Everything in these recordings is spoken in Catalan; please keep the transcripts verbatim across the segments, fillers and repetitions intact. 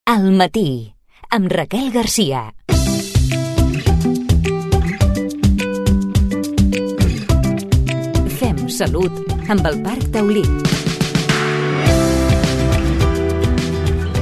Al matí, amb Raquel Garcia. Fem salut amb el Parc Taulí.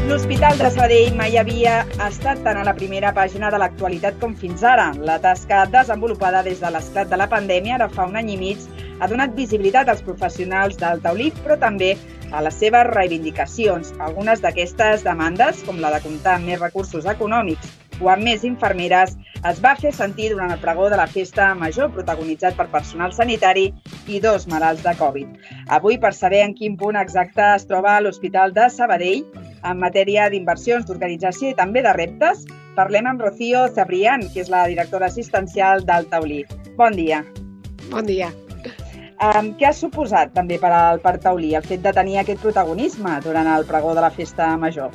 L'Hospital de Sabadell mai havia estat tan a la primera pàgina de l'actualitat com fins ara. La tasca desenvolupada des de l'esclat de la pandèmia ara fa un any i mig ha donat visibilitat als professionals del Taulí, però també a les seves reivindicacions. Algunes d'aquestes demandes, com la de comptar amb més recursos econòmics o amb més infermeres, es va fer sentir durant el pregó de la Festa Major, protagonitzat per personal sanitari i dos malalts de Covid. Avui, per saber en quin punt exacte es troba l'Hospital de Sabadell en matèria d'inversions, d'organització i també de reptes, parlem amb Rocío Cebrián, que és la directora assistencial del Taulí. Bon dia. Bon dia. Um, què ha suposat també per al Parc Taulí el fet de tenir aquest protagonisme durant el pregó de la Festa Major?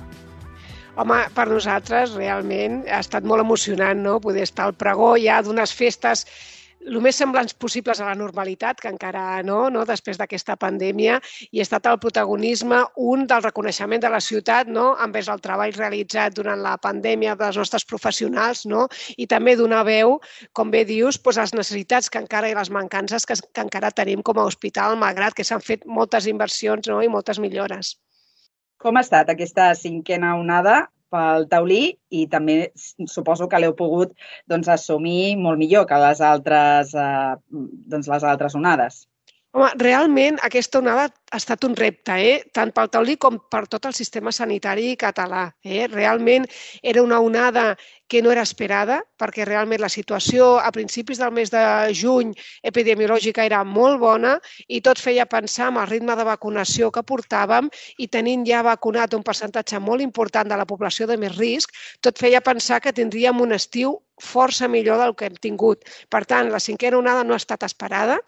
Home, per nosaltres realment ha estat molt emocionant, no?, poder estar al pregó ja d'unes festes el més semblants possibles a la normalitat, que encara no, no després d'aquesta pandèmia, i ha estat el protagonisme, un del reconeixement de la ciutat, no?, envers el treball realitzat durant la pandèmia dels nostres professionals, no?, i també donar veu, com bé dius, doncs, les necessitats que encara i les mancances que, que encara tenim com a hospital, malgrat que s'han fet moltes inversions, no?, i moltes millores. Com ha estat aquesta cinquena onada pel Taulí i també suposo que l'heu pogut doncs, assumir molt millor que les altres, eh, doncs, les altres onades? Home, realment aquesta onada ha estat un repte, eh? Tant pel Taulí com per tot el sistema sanitari català. Eh? Realment era una onada que no era esperada, perquè realment la situació a principis del mes de juny epidemiològica era molt bona i tot feia pensar en el ritme de vacunació que portàvem i tenint ja vacunat un percentatge molt important de la població de més risc, tot feia pensar que tindríem un estiu força millor del que hem tingut. Per tant, la cinquena onada no ha estat esperada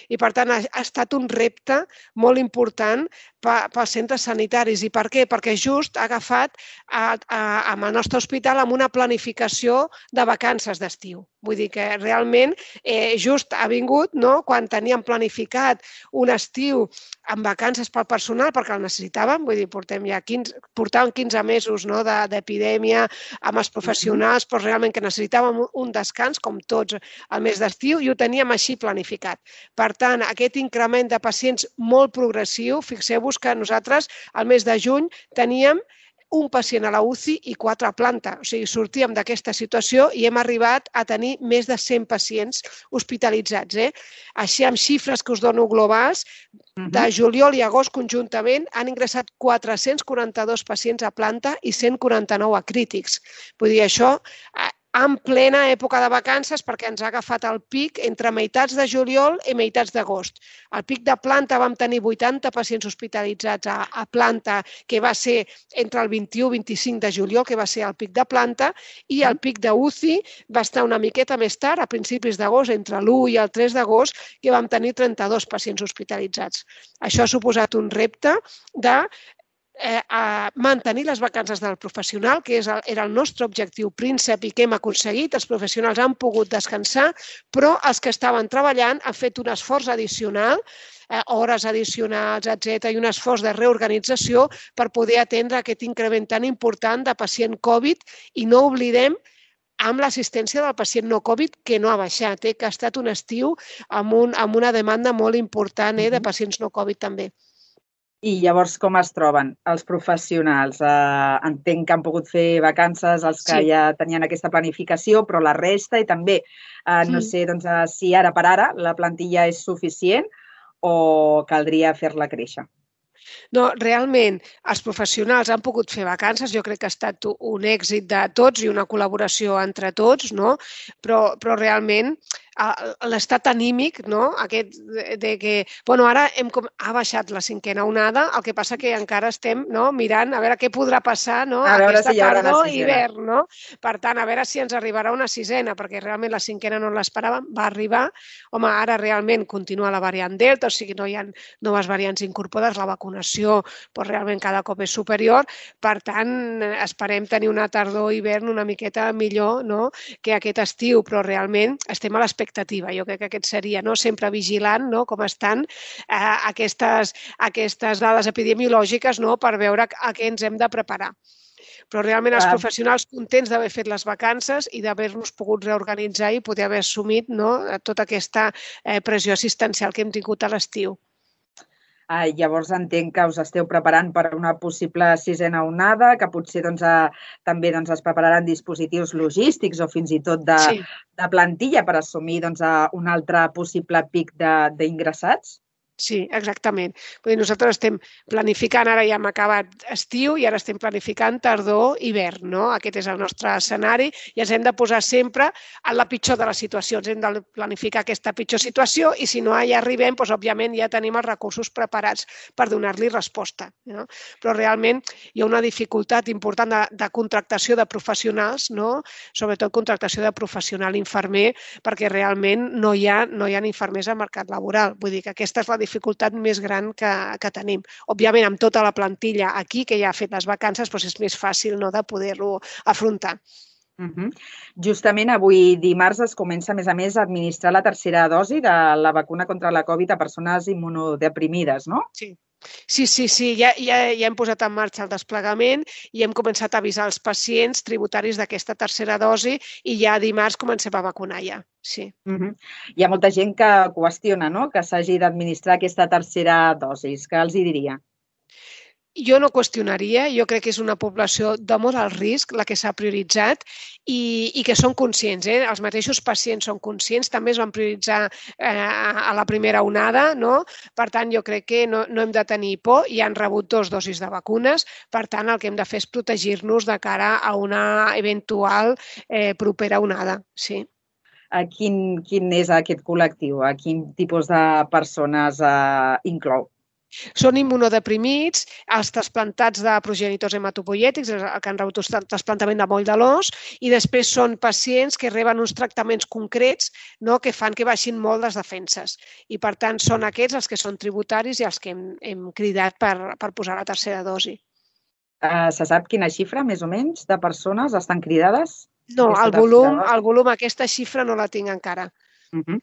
i, per tant, ha estat un repte molt important pels centres sanitaris. I per què? Perquè just ha agafat a, a, amb el nostre hospital amb una planificació de vacances d'estiu. Vull dir que realment eh, just ha vingut, no?, quan teníem planificat un estiu amb vacances pel personal, perquè el necessitàvem, vull dir, portem ja quinze, portàvem quinze mesos, no?, de, d'epidèmia amb els professionals, però realment que necessitàvem un descans, com tots, al mes d'estiu, i ho teníem així planificat. Per tant, aquest increment de pacients molt progressiu, fixeu-vos que nosaltres al mes de juny teníem un pacient a la U C I i quatre a planta. O sigui, sortíem d'aquesta situació i hem arribat a tenir més de cent pacients hospitalitzats. Eh? Així, amb xifres que us dono globals, de juliol i agost conjuntament han ingressat quatre-cents quaranta-dos pacients a planta i cent quaranta-nou a crítics. Vull dir, això en plena època de vacances, perquè ens ha agafat el pic entre meitats de juliol i meitats d'agost. Al pic de planta vam tenir vuitanta pacients hospitalitzats a, a planta, que va ser entre el vint-i-u i vint-i-cinc de juliol, que va ser el pic de planta, i el pic de U C I va estar una miqueta més tard, a principis d'agost, entre l'u i el tres d'agost, que vam tenir trenta-dos pacients hospitalitzats. Això ha suposat un repte de Eh, a mantenir les vacances del professional, que és el, era el nostre objectiu príncep i que hem aconseguit. Els professionals han pogut descansar, però els que estaven treballant han fet un esforç addicional, eh, hores addicionals, etcètera, i un esforç de reorganització per poder atendre aquest increment tan important de pacient Covid i no oblidem amb l'assistència del pacient no Covid, que no ha baixat, eh, que ha estat un estiu amb, un, amb una demanda molt important eh, de pacients no Covid també. I llavors com es troben els professionals? Eh, entenc que han pogut fer vacances els que sí. ja tenien aquesta planificació, però la resta i també, eh, no sí. sé doncs, eh, si ara per ara la plantilla és suficient o caldria fer-la créixer. No, realment, els professionals han pogut fer vacances, jo crec que ha estat un èxit de tots i una col·laboració entre tots, no? Però, però realment l'estat anímic, no?, aquest de que, bueno, ara hem, ha baixat la cinquena onada, el que passa que encara estem no, mirant a veure què podrà passar no, aquesta si tardor i hivern, no? Per tant, a veure si ens arribarà una sisena, perquè realment la cinquena no l'esperàvem, va arribar, home, ara realment continua la variant Delta, o sigui, no hi ha noves variants incorporades, la vacunació però realment cada cop és superior, per tant, esperem tenir una tardor-hivern una miqueta millor no, que aquest estiu, però realment estem a l'expectativa expectativa. Jo crec que aquest seria no? sempre vigilant no? com estan eh, aquestes, aquestes dades epidemiològiques no? per veure a què ens hem de preparar. Però realment els Ah. professionals contents d'haver fet les vacances i d'haver-nos pogut reorganitzar i poder haver assumit, no, tota aquesta eh, pressió assistencial que hem tingut a l'estiu. Ah, llavors entenc que us esteu preparant per a una possible sisena onada, que potser doncs, eh, també doncs, es prepararan dispositius logístics o fins i tot de, Sí. de plantilla per assumir doncs, eh, un altre possible pic de- d'ingressats? Sí, exactament. Vull dir, nosaltres estem planificant, ara ja hem acabat estiu i ara estem planificant tardor, hivern, no? Aquest és el nostre escenari i ens hem de posar sempre en la pitjor de les situacions. Hem de planificar aquesta pitjor situació i si no hi arribem, doncs, òbviament ja tenim els recursos preparats per donar-li resposta. No? Però realment hi ha una dificultat important de, de contractació de professionals, no? Sobretot contractació de professional infermer, perquè realment no hi ha, no hi ha infermers al mercat laboral. Vull dir que aquesta és la dificultat més gran que, que tenim. Òbviament, amb tota la plantilla aquí, que ja ha fet les vacances, doncs és més fàcil, no?, de poder-lo afrontar. Uh -huh. Justament avui dimarts es comença, a més a més, a administrar la tercera dosi de la vacuna contra la Covid a persones immunodeprimides, no? Sí. Sí, sí, sí, ja, ja, ja hem posat en marxa el desplegament i hem començat a avisar els pacients tributaris d'aquesta tercera dosi i ja dimarts comencem a vacunar ja, sí. Uh -huh. Hi ha molta gent que qüestiona, no?, que s'hagi d'administrar aquesta tercera dosi. Què els hi diria? Jo no qüestionaria, jo crec que és una població de molt alt risc la que s'ha prioritzat i, i que són conscients, eh? Els mateixos pacients són conscients, també es van prioritzar eh, a la primera onada, no? Per tant, jo crec que no, no hem de tenir por, i han rebut dos dosis de vacunes, per tant, el que hem de fer és protegir-nos de cara a una eventual eh, propera onada, sí. A quin, quin és aquest col·lectiu? A quin tipus de persones eh, inclou? Són immunodeprimits, els trasplantats de progenitors hematopoiètics, el que han rebut un trasplantament de moll de l'os, i després són pacients que reben uns tractaments concrets, no?, que fan que baixin molt les defenses. I, per tant, són aquests els que són tributaris i els que hem, hem cridat per, per posar la tercera dosi. Uh, se sap quina xifra, més o menys, de persones estan cridades? No, el volum, el volum, aquesta xifra no la tinc encara. Uh -huh.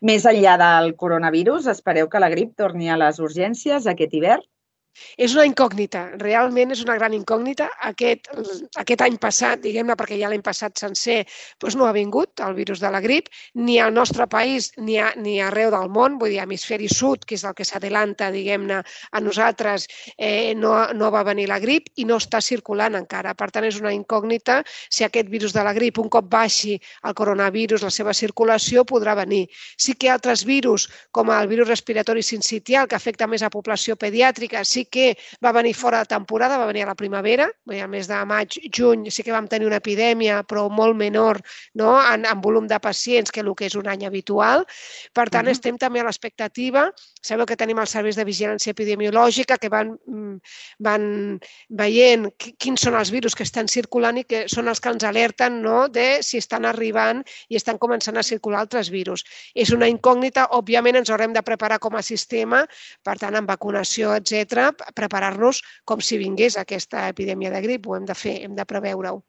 Més enllà del coronavirus, espereu que la grip torni a les urgències aquest hivern? És una incògnita, realment és una gran incògnita. Aquest, aquest any passat, diguem-ne, perquè ja l'any passat sencer, doncs no ha vingut el virus de la grip, ni al nostre país ni, a, ni arreu del món, vull dir, hemisferi sud, que és el que s'adelanta, diguem-ne, a nosaltres, eh, no, no va venir la grip i no està circulant encara. Per tant, és una incògnita si aquest virus de la grip, un cop baixi el coronavirus, la seva circulació, podrà venir. Sí que altres virus, com el virus respiratori sincitial, que afecta més a població pediàtrica, sí que va venir fora de temporada, va venir a la primavera, al mes de maig, juny, sí que vam tenir una epidèmia, però molt menor, no?, en, en volum de pacients que el que és un any habitual. Per tant, uh-huh. estem també a l'expectativa. Sabeu que tenim els serveis de vigilància epidemiològica que van, van veient quins són els virus que estan circulant i que són els que ens alerten, no?, de si estan arribant i estan començant a circular altres virus. És una incògnita, òbviament ens haurem de preparar com a sistema, per tant, amb vacunació, etcètera, preparar-nos com si vingués aquesta epidèmia de grip. Ho hem de fer, hem de preveure-ho.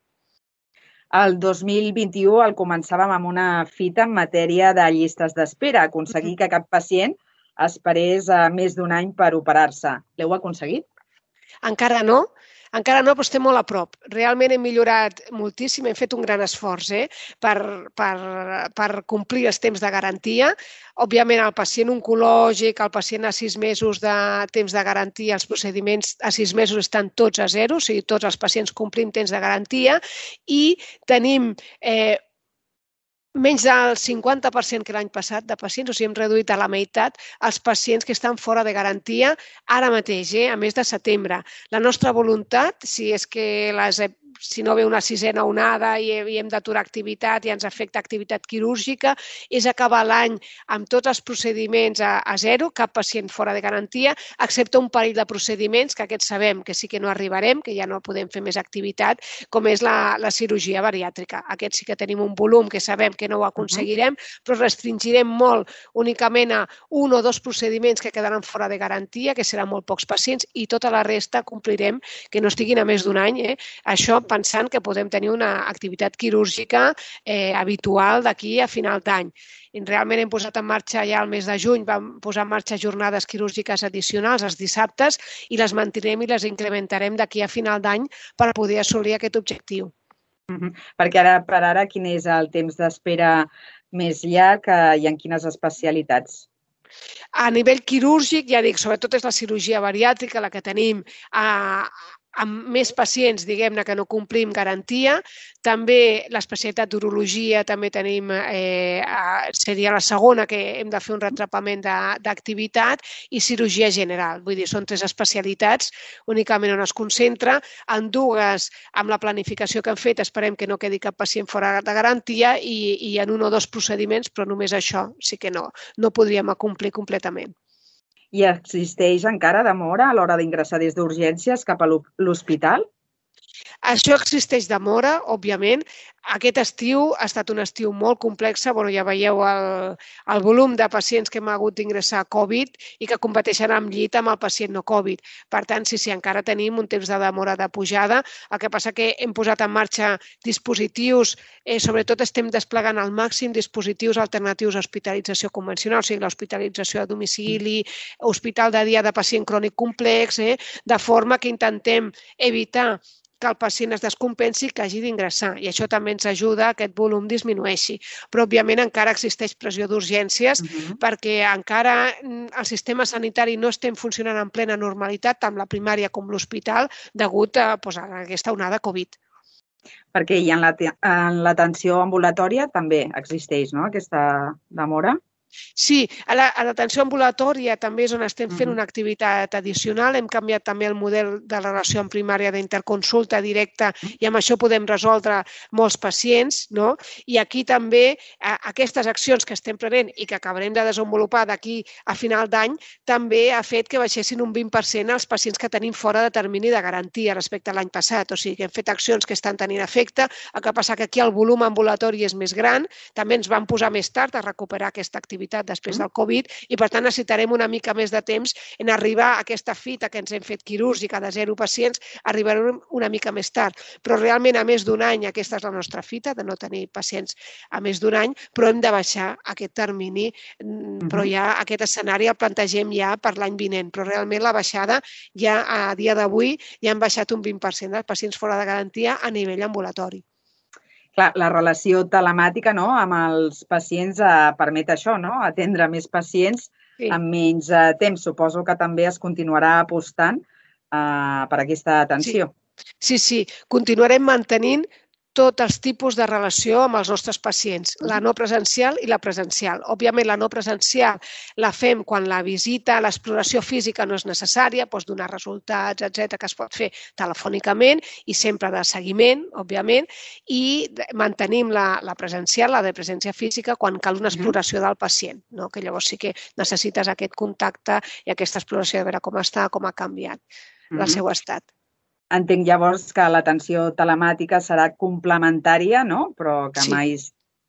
El dos mil vint-i-u el començàvem amb una fita en matèria de llistes d'espera, aconseguir que cap pacient esperés més d'un any per operar-se. L'heu aconseguit? Encara no. Encara no, però estem molt a prop. Realment hem millorat moltíssim, hem fet un gran esforç eh, per, per, per complir els temps de garantia. Òbviament, el pacient oncològic, el pacient a sis mesos de temps de garantia, els procediments a sis mesos estan tots a zero, o sigui, tots els pacients complim temps de garantia i tenim eh, menys del cinquanta per cent que l'any passat de pacients, o sigui, hem reduït a la meitat els pacients que estan fora de garantia ara mateix, eh, a mes de setembre. La nostra voluntat, si és que les si no ve una sisena onada i hem d'aturar activitat i ens afecta activitat quirúrgica, és acabar l'any amb tots els procediments a, a zero, cap pacient fora de garantia, excepte un parell de procediments que aquests sabem que sí que no arribarem, que ja no podem fer més activitat, com és la, la cirurgia bariàtrica. Aquests sí que tenim un volum que sabem que no ho aconseguirem, però restringirem molt únicament a un o dos procediments que quedaran fora de garantia, que seran molt pocs pacients, i tota la resta complirem que no estiguin a més d'un any. Eh? Això pensant que podem tenir una activitat quirúrgica eh, habitual d'aquí a final d'any. Realment hem posat en marxa ja al mes de juny, vam posar en marxa jornades quirúrgiques addicionals els dissabtes i les mantindrem i les incrementarem d'aquí a final d'any per poder assolir aquest objectiu. Uh-huh. Perquè ara, per ara, quin és el temps d'espera més llarg eh, i en quines especialitats? A nivell quirúrgic, ja dic, sobretot és la cirurgia bariàtrica la que tenim a, amb més pacients, diguem-ne, que no complim garantia. També l'especialitat d'urologia també tenim, eh, seria la segona que hem de fer un retrapament d'activitat i cirurgia general. Vull dir, són tres especialitats únicament on es concentra. En dues, amb la planificació que hem fet, esperem que no quedi cap pacient fora de garantia i, i en un o dos procediments, però només això sí que no, no podríem acomplir completament. I existeix encara demora a l'hora d'ingressar des d'urgències cap a l'hospital? Això existeix demora, òbviament. Aquest estiu ha estat un estiu molt complex. Bueno, ja veieu el, el volum de pacients que hem hagut d'ingressar a Covid i que competeixen amb llit amb el pacient no Covid. Per tant, sí, sí, encara tenim un temps de demora de pujada. El que passa que hem posat en marxa dispositius, eh, sobretot estem desplegant al màxim dispositius alternatius a hospitalització convencional, o sigui, l'hospitalització a domicili, hospital de dia de pacient crònic complex, eh, de forma que intentem evitar que el pacient es descompensi i que hagi d'ingressar. I això també ens ajuda a que aquest volum disminueixi. Però, òbviament, encara existeix pressió d'urgències uh-huh. perquè encara el sistema sanitari no estem funcionant en plena normalitat, tant la primària com l'hospital, degut a, doncs, a aquesta onada Covid. Perquè i en l'atenció ambulatòria també existeix, no?, aquesta demora? Sí, a l'atenció ambulatòria també és on estem fent una activitat addicional. Hem canviat també el model de relació en primària d'interconsulta directa i amb això podem resoldre molts pacients, no? I aquí també aquestes accions que estem prenent i que acabarem de desenvolupar d'aquí a final d'any també ha fet que baixessin un vint per cent els pacients que tenim fora de termini de garantia respecte a l'any passat. O sigui que hem fet accions que estan tenint efecte. El que passa que aquí el volum ambulatori és més gran. També ens vam posar més tard a recuperar aquesta activitat després del Covid i, per tant, necessitarem una mica més de temps en arribar a aquesta fita que ens hem fet quirúrgica de zero pacients, arribarem una mica més tard. Però realment a més d'un any aquesta és la nostra fita, de no tenir pacients a més d'un any, però hem de baixar aquest termini, però ja aquest escenari el plantegem ja per l'any vinent. Però realment la baixada ja a dia d'avui ja han baixat un vint per cent dels pacients fora de garantia a nivell ambulatori. Clar, la relació telemàtica, no?, amb els pacients eh, permet això, no?, atendre més pacients sí. en menys eh, temps. Suposo que també es continuarà apostant eh, per aquesta atenció. Sí, sí, sí. Continuarem mantenint tots els tipus de relació amb els nostres pacients, la no presencial i la presencial. Òbviament, la no presencial la fem quan la visita, l'exploració física no és necessària, doncs donar resultats, etcètera, que es pot fer telefònicament i sempre de seguiment, òbviament, i mantenim la, la presencial, la de presència física, quan cal una exploració del pacient, no? Que llavors sí que necessites aquest contacte i aquesta exploració de veure com està, com ha canviat el seu estat. Entenc llavors que l'atenció telemàtica serà complementària, no? Però que sí. mai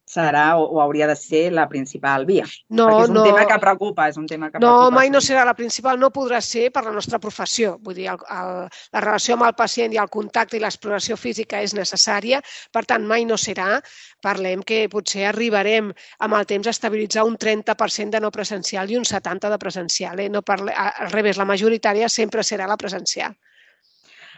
serà o, o hauria de ser la principal via. No, perquè és un no. tema que preocupa. És un tema que no, preocupa. mai no serà la principal, no podrà ser per la nostra professió. Vull dir, el, el, la relació amb el pacient i el contacte i l'exploració física és necessària, per tant, mai no serà. Parlem que potser arribarem amb el temps a estabilitzar un trenta per cent de no presencial i un setanta per cent de presencial. Eh? No parle... Al revés, la majoritària sempre serà la presencial.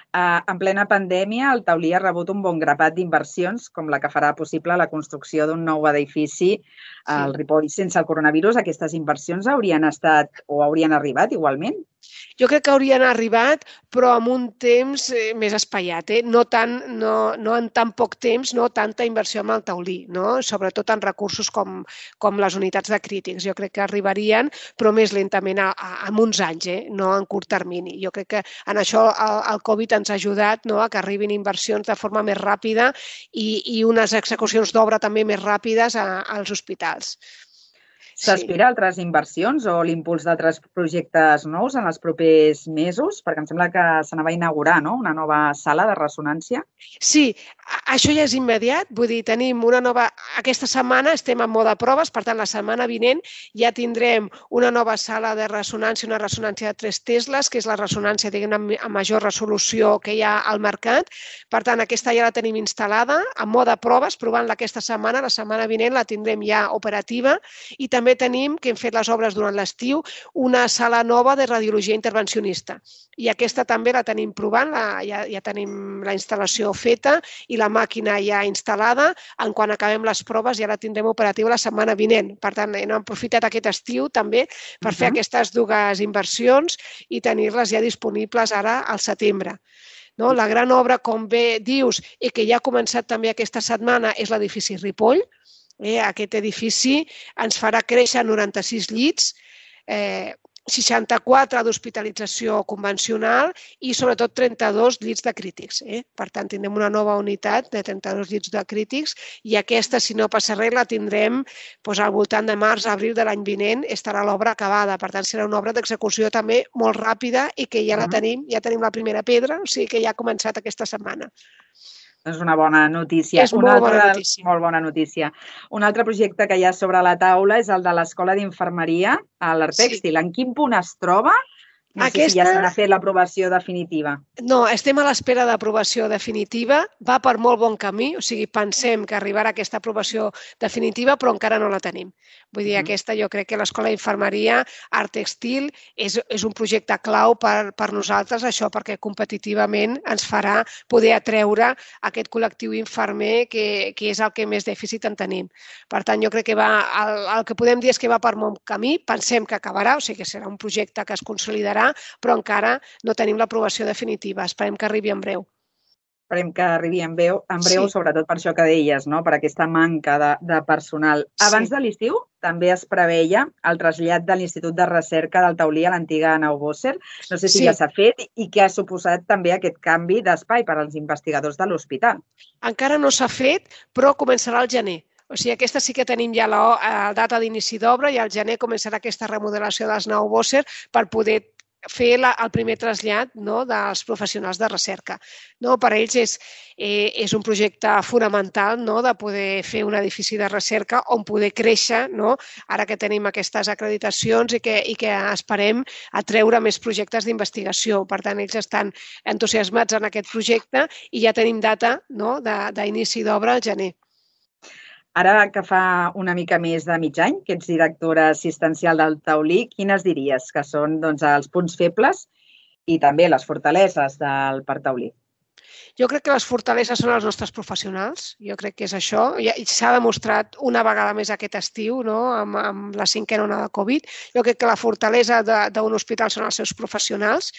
Uh, en plena pandèmia, el Taulí ha rebut un bon grapat d'inversions, com la que farà possible la construcció d'un nou edifici al Ripoll sense el coronavirus. Aquestes inversions haurien estat o haurien arribat igualment? Jo crec que haurien arribat, però amb un temps més espaiat, eh? no, tant, no, no en tan poc temps, no tanta inversió amb el Taulí, no? Sobretot en recursos com, com les unitats de crítics. Jo crec que arribarien, però més lentament, a, a, en uns anys, eh? no en curt termini. Jo crec que en això el, el Covid ens ha ajudat, no? a que arribin inversions de forma més ràpida i, i unes execucions d'obra també més ràpides a, als hospitals. S'aspira a altres inversions o l'impuls d'altres projectes nous en els propers mesos? Perquè em sembla que s'anava a inaugurar, no?, una nova sala de ressonància. Sí, això ja és immediat. Vull dir, tenim una nova... Aquesta setmana estem en mode proves, per tant, la setmana vinent ja tindrem una nova sala de ressonància, una ressonància de tres tesles, que és la ressonància, diguem, amb major resolució que hi ha al mercat. Per tant, aquesta ja la tenim instal·lada, en mode proves, provant-la aquesta setmana. La setmana vinent la tindrem ja operativa i també tenim, que hem fet les obres durant l'estiu, una sala nova de radiologia intervencionista. I aquesta també la tenim provant, la, ja, ja tenim la instal·lació feta i la màquina ja instal·lada. En quan acabem les proves ja la tindrem operativa la setmana vinent. Per tant, hem aprofitat aquest estiu també per fer aquestes dues inversions i tenir-les ja disponibles ara al setembre. No? La gran obra, com bé dius, i que ja ha començat també aquesta setmana, és l'edifici Ripoll. Eh, aquest edifici ens farà créixer noranta-sis llits, eh, seixanta-quatre d'hospitalització convencional i sobretot trenta-dos llits de crítics. Eh? Per tant, tindrem una nova unitat de trenta-dos llits de crítics i aquesta, si no passa res, la tindrem doncs, al voltant de març, abril de l'any vinent, estarà l'obra acabada. Per tant, serà una obra d'execució també molt ràpida i que ja la tenim, ja tenim la primera pedra, o sigui que ja ha començat aquesta setmana. És una bona notícia. És molt bona notícia. Molt bona notícia. Un altre projecte que hi ha sobre la taula és el de l'Escola d'Infermeria a l'Artèxtil. En quin punt es troba? No sé si ja se n'ha fet l'aprovació definitiva. No, estem a l'espera d'aprovació definitiva. Va per molt bon camí, o sigui, pensem que arribarà aquesta aprovació definitiva, però encara no la tenim. Vull dir, aquesta, jo crec que l'Escola d'Infermeria Artèxtil és, és un projecte clau per, per nosaltres, això perquè competitivament ens farà poder atreure aquest col·lectiu infermer que, que és el que més dèficit en tenim. Per tant, jo crec que va, el, el que podem dir és que va per bon camí, pensem que acabarà, o sigui que serà un projecte que es consolidarà, però encara no tenim l'aprovació definitiva. Esperem que arribi en breu. Esperem que arribi en breu, en breu sí. Sobretot per això que deies, no? Per aquesta manca de, de personal. Abans sí. de l'estiu també es preveia el trasllat de l'Institut de Recerca del Taulí a l'antiga Nau Bosser. No sé si sí. ja s'ha fet i què ha suposat també aquest canvi d'espai per als investigadors de l'hospital. Encara no s'ha fet, però començarà al gener. O sigui, aquesta sí que tenim ja la, la data d'inici d'obra i al gener començarà aquesta remodelació dels Nau Bosser per poder fer la, el primer trasllat, no, dels professionals de recerca. No, per ells és, eh, és un projecte fonamental, no, de poder fer un edifici de recerca on poder créixer, no, ara que tenim aquestes acreditacions i que, i que esperem atreure més projectes d'investigació. Per tant, ells estan entusiasmats en aquest projecte i ja tenim data, no, d'inici d'obra al gener. Ara que fa una mica més de mig any que ets directora assistencial del Taulí, quines diries que són doncs, els punts febles i també les fortaleses del Parc Taulí? Jo crec que les fortaleses són els nostres professionals, jo crec que és això. S'ha demostrat una vegada més aquest estiu, no? amb, amb la cinquena onada de Covid. Jo crec que la fortalesa d'un hospital són els seus professionals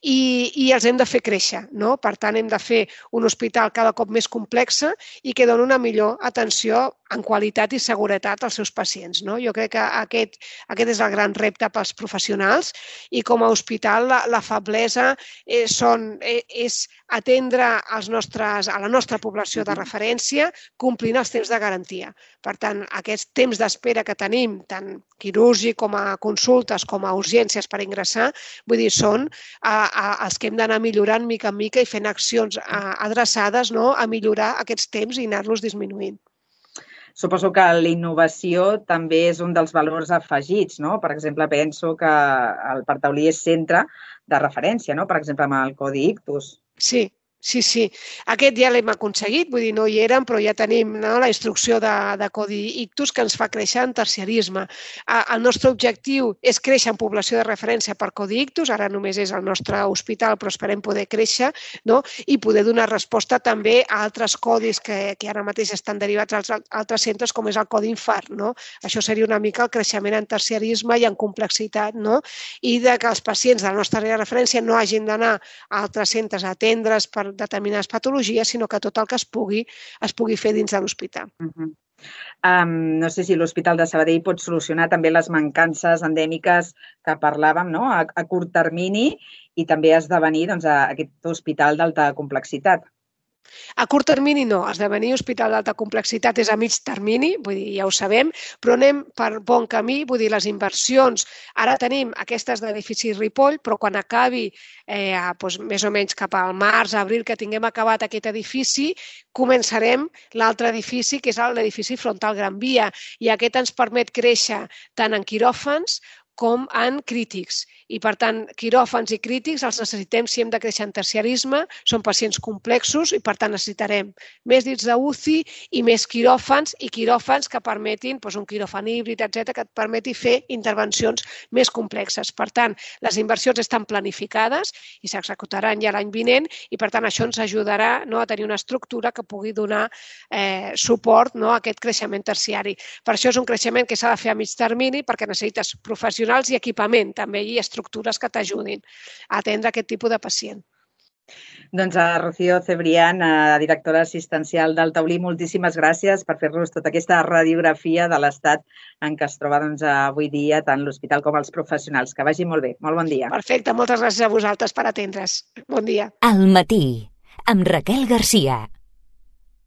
i, i els hem de fer créixer. No? Per tant, hem de fer un hospital cada cop més complex i que doni una millor atenció en qualitat i seguretat als seus pacients. No? Jo crec que aquest, aquest és el gran repte pels professionals i com a hospital la, la feblesa eh, són, eh, és atendre als nostres, a la nostra població de referència complint els temps de garantia. Per tant, aquests temps d'espera que tenim, tant quirúrgic com a consultes com a urgències per ingressar, vull dir, són a, a, els que hem d'anar millorant mica en mica i fent accions a, adreçades, no?, a millorar aquests temps i anar-los disminuint. Suposo que la innovació també és un dels valors afegits, no? Per exemple, penso que el Parc Taulí és centre de referència, no? Per exemple, amb el Codi Ictus. Sí. Sí, sí. Aquest ja l'hem aconseguit, vull dir, no hi érem, però ja tenim, no, la instrucció de, de Codi Ictus que ens fa créixer en terciarisme. El nostre objectiu és créixer en població de referència per Codi Ictus, ara només és el nostre hospital, però esperem poder créixer, no? I poder donar resposta també a altres codis que, que ara mateix estan derivats als altres centres, com és el Codi Infart. No? Això seria una mica el creixement en terciarisme i en complexitat, no? I de que els pacients de la nostra àrea de referència no hagin d'anar a altres centres a atendre's per determinades patologies, sinó que tot el que es pugui es pugui fer dins de l'hospital. Uh-huh. um, no sé si l'Hospital de Sabadell pot solucionar també les mancances endèmiques que parlàvem, no?, a, a curt termini i també esdevenir doncs, a aquest hospital d'alta complexitat. A curt termini no, esdevenir hospital d'alta complexitat és a mig termini, vull dir, ja ho sabem, però anem per bon camí, vull dir, les inversions. Ara tenim aquestes d'edifici Ripoll, però quan acabi eh, doncs, més o menys cap al març, abril, que tinguem acabat aquest edifici, començarem l'altre edifici, que és l'edifici frontal Gran Via, i aquest ens permet créixer tant en quiròfans com en crítics. I, per tant, quiròfans i crítics els necessitem si hem de créixer en terciarisme, són pacients complexos i, per tant, necessitarem més dits d'U C I i més quiròfans i quiròfans que permetin, doncs, un quiròfan híbrid, etcètera, que et permeti fer intervencions més complexes. Per tant, les inversions estan planificades i s'executaran ja l'any vinent i, per tant, això ens ajudarà no, a tenir una estructura que pugui donar eh, suport no, a aquest creixement terciari. Per això és un creixement que s'ha de fer a mig termini perquè necessites professionals i equipament també i estructures que t'ajudin a atendre aquest tipus de pacient. Doncs a Rocío Cebrián, directora assistencial del Taulí, moltíssimes gràcies per fer-nos tota aquesta radiografia de l'estat en què es troba doncs, avui dia tant l'hospital com els professionals. Que vagi molt bé. Molt bon dia. Perfecte, moltes gràcies a vosaltres per atendre's. Bon dia. Al matí, amb Raquel Garcia.